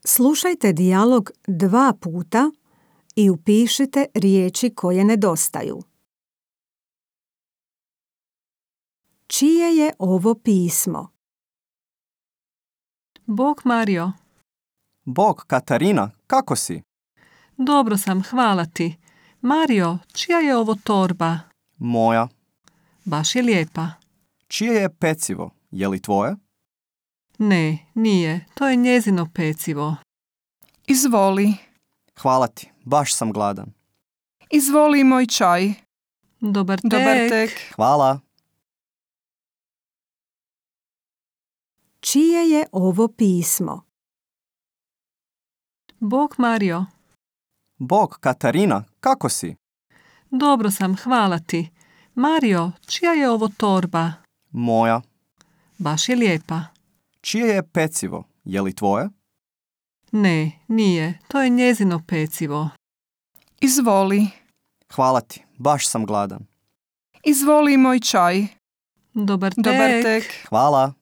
Slušajte dijalog 2 puta i upišite riječi koje nedostaju. Čije je ovo pismo? Bog Mario. Bog Katarina, kako si? Dobro sam, hvala ti. Mario, čija je ovo torba? Moja. Baš je lijepa. Čije je pecivo? Je li tvoje? Ne, nije. To je njezino pecivo. Izvoli. Hvala ti, baš sam gladan. Izvoli moj čaj. Dobar tek. Dobar tek. Hvala. Čije je ovo pismo? Bog Mario. Bog Katarina, kako si? Dobro sam, hvala ti. Mario, čija je ovo torba? Moja. Baš je lijepa. Čije je pecivo? Je li tvoje? Ne, nije. To je njezino pecivo. Izvoli. Hvala ti, baš sam gladan. Izvoli moj čaj. Dobar tek. Dobar tek. Hvala.